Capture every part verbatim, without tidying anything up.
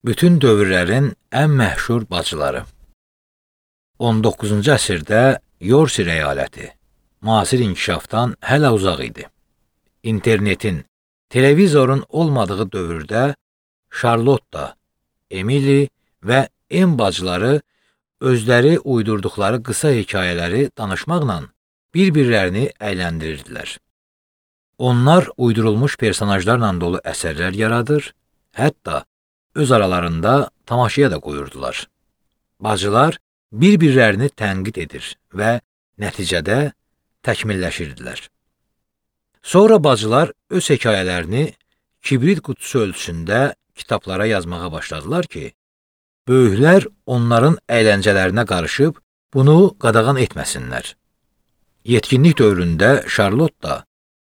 Bütün dövrlərin ən məşhur bacıları. on doqquzuncu əsrdə Yorsi əyaləti müasir inkişafdan hələ uzaq idi. İnternetin, televizorun olmadığı dövrdə Charlotte, Emily və En bacıları özləri uydurduqları qısa hekayələri danışmaqla bir-birlərini əyləndirirdilər. Onlar uydurulmuş personajlarla dolu əsərlər yaradır, hətta öz aralarında tamaşaya da qoyurdular. Bacılar bir-birlərini tənqid edir və nəticədə təkmilləşirdilər. Sonra bacılar öz hekayələrini kibrit qutusu ölçüsündə kitablara yazmağa başladılar ki, böyüklər onların əyləncələrinə qarışıb bunu qadağan etməsinlər. Yetkinlik dövründə Charlotte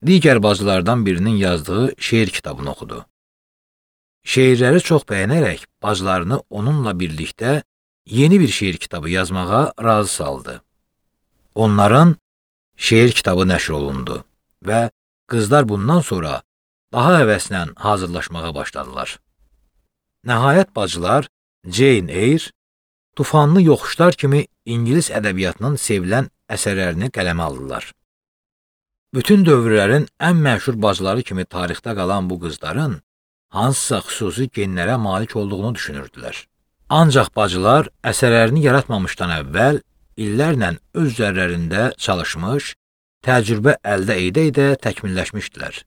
digər bacılardan birinin yazdığı şeir kitabını oxudu. Şeirləri çox bəyənərək bacılarını onunla birlikdə yeni bir şeir kitabı yazmağa razı saldı. Onların şeir kitabı nəşr olundu və qızlar bundan sonra daha həvəslə hazırlaşmağa başladılar. Nəhayət bacılar Jane Eyre, Tufanlı Yoxuşlar kimi İngilis ədəbiyyatının sevilən əsərlərini qələmə aldılar. Bütün dövrlərin ən məşhur bacıları kimi tarixdə qalan bu qızların hansısa xüsusi genlərə malik olduğunu düşünürdülər. Ancaq bacılar əsərlərini yaratmamışdan əvvəl illərlə öz üzərlərində çalışmış, təcrübə əldə edə-edə təkmilləşmişdilər.